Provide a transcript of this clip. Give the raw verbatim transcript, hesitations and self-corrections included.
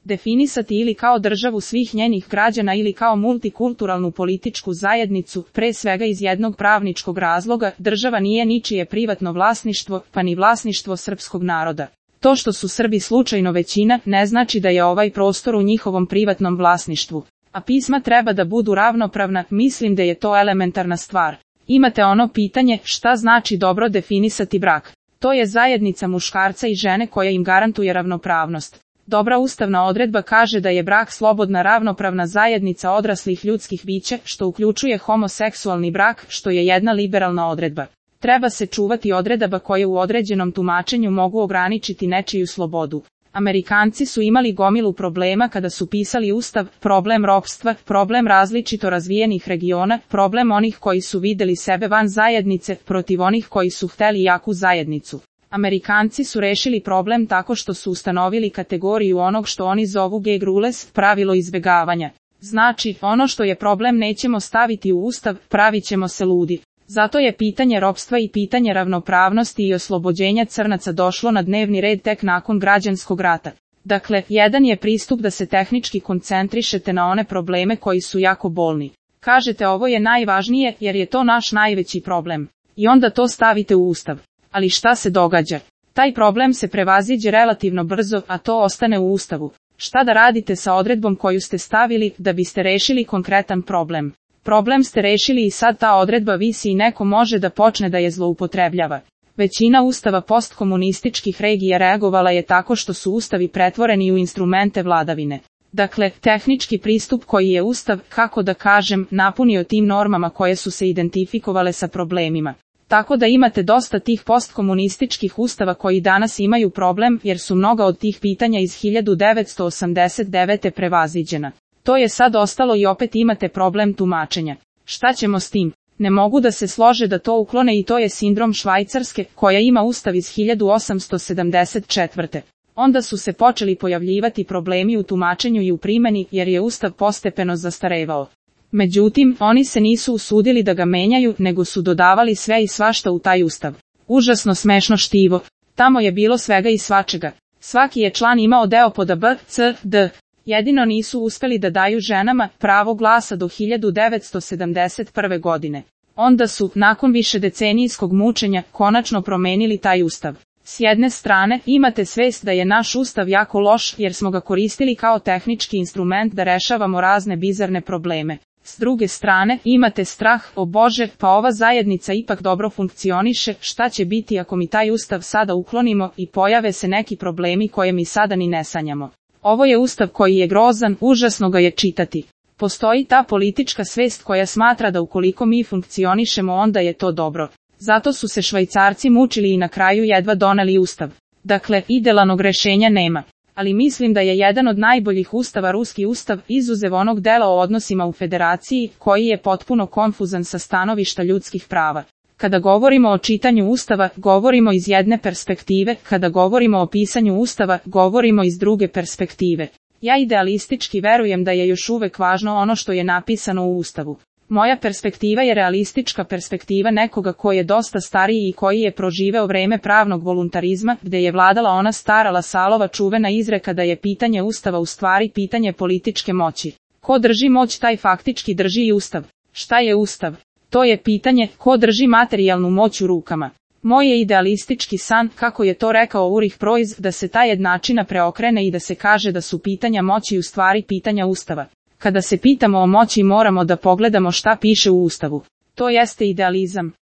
definisati ili kao državu svih njenih građana ili kao multikulturalnu političku zajednicu, pre svega iz jednog pravničkog razloga, država nije ničije privatno vlasništvo, pa ni vlasništvo srpskog naroda. To što su Srbi slučajno većina, ne znači da je ovaj prostor u njihovom privatnom vlasništvu. A pisma treba da budu ravnopravna, mislim da je to elementarna stvar. Imate ono pitanje, šta znači dobro definisati brak? To je zajednica muškarca i žene koja im garantuje ravnopravnost. Dobra ustavna odredba kaže da je brak slobodna ravnopravna zajednica odraslih ljudskih bića, što uključuje homoseksualni brak, što je jedna liberalna odredba. Treba se čuvati odredaba koje u određenom tumačenju mogu ograničiti nečiju slobodu. Amerikanci su imali gomilu problema kada su pisali ustav, problem ropstva, problem različito razvijenih regiona, problem onih koji su videli sebe van zajednice, protiv onih koji su hteli jaku zajednicu. Amerikanci su rešili problem tako što su ustanovili kategoriju onog što oni zovu gag rules, pravilo izbegavanja. Znači, ono što je problem nećemo staviti u ustav, pravit ćemo se ludi. Zato je pitanje ropstva i pitanje ravnopravnosti i oslobođenja crnaca došlo na dnevni red tek nakon građanskog rata. Dakle, jedan je pristup da se tehnički koncentrišete na one probleme koji su jako bolni. Kažete ovo je najvažnije jer je to naš najveći problem. I onda to stavite u ustav. Ali šta se događa? Taj problem se prevaziđe relativno brzo, a to ostane u ustavu. Šta da radite sa odredbom koju ste stavili da biste rešili konkretan problem? Problem ste rešili i sad ta odredba visi i neko može da počne da je zloupotrebljava. Većina ustava postkomunističkih regija reagovala je tako što su ustavi pretvoreni u instrumente vladavine. Dakle, tehnički pristup koji je ustav, kako da kažem, napunio tim normama koje su se identifikovale sa problemima. Tako da imate dosta tih postkomunističkih ustava koji danas imaju problem jer su mnoga od tih pitanja iz hiljadu devetsto osamdeset devete prevaziđena. To je sad ostalo i opet imate problem tumačenja. Šta ćemo s tim? Ne mogu da se slože da to uklone i to je sindrom Švajcarske, koja ima ustav iz hiljadu osamsto sedamdeset četvrte. Onda su se počeli pojavljivati problemi u tumačenju i u primjeni jer je ustav postepeno zastarevao. Međutim, oni se nisu usudili da ga menjaju, nego su dodavali sve i svašta u taj ustav. Užasno smešno štivo. Tamo je bilo svega i svačega. Svaki je član imao deo pod B, C, D. Jedino nisu uspeli da daju ženama pravo glasa do hiljadu devetsto sedamdeset prve godine. Onda su, nakon višedecenijskog mučenja, konačno promenili taj ustav. S jedne strane, imate svest da je naš ustav jako loš jer smo ga koristili kao tehnički instrument da rešavamo razne bizarne probleme. S druge strane, imate strah, o Bože, pa ova zajednica ipak dobro funkcioniše, šta će biti ako mi taj ustav sada uklonimo i pojave se neki problemi koje mi sada ni ne sanjamo. Ovo je ustav koji je grozan, užasno ga je čitati. Postoji ta politička svest koja smatra da ukoliko mi funkcionišemo onda je to dobro. Zato su se Švajcarci mučili i na kraju jedva doneli ustav. Dakle, idealnog rešenja nema. Ali mislim da je jedan od najboljih ustava ruski ustav, izuzev onog dela o odnosima u federaciji, koji je potpuno konfuzan sa stanovišta ljudskih prava. Kada govorimo o čitanju ustava, govorimo iz jedne perspektive, kada govorimo o pisanju ustava, govorimo iz druge perspektive. Ja idealistički verujem da je još uvek važno ono što je napisano u ustavu. Moja perspektiva je realistička perspektiva nekoga koji je dosta stariji i koji je proživeo vreme pravnog voluntarizma, gde je vladala ona stara Lasalova čuvena izreka da je pitanje ustava u stvari pitanje političke moći. Ko drži moć taj faktički drži i ustav. Šta je ustav? To je pitanje, ko drži materijalnu moć u rukama. Moj je idealistički san, kako je to rekao Ulrich Preuss, da se ta jednačina preokrene i da se kaže da su pitanja moći u stvari pitanja ustava. Kada se pitamo o moći moramo da pogledamo šta piše u ustavu. To jeste idealizam.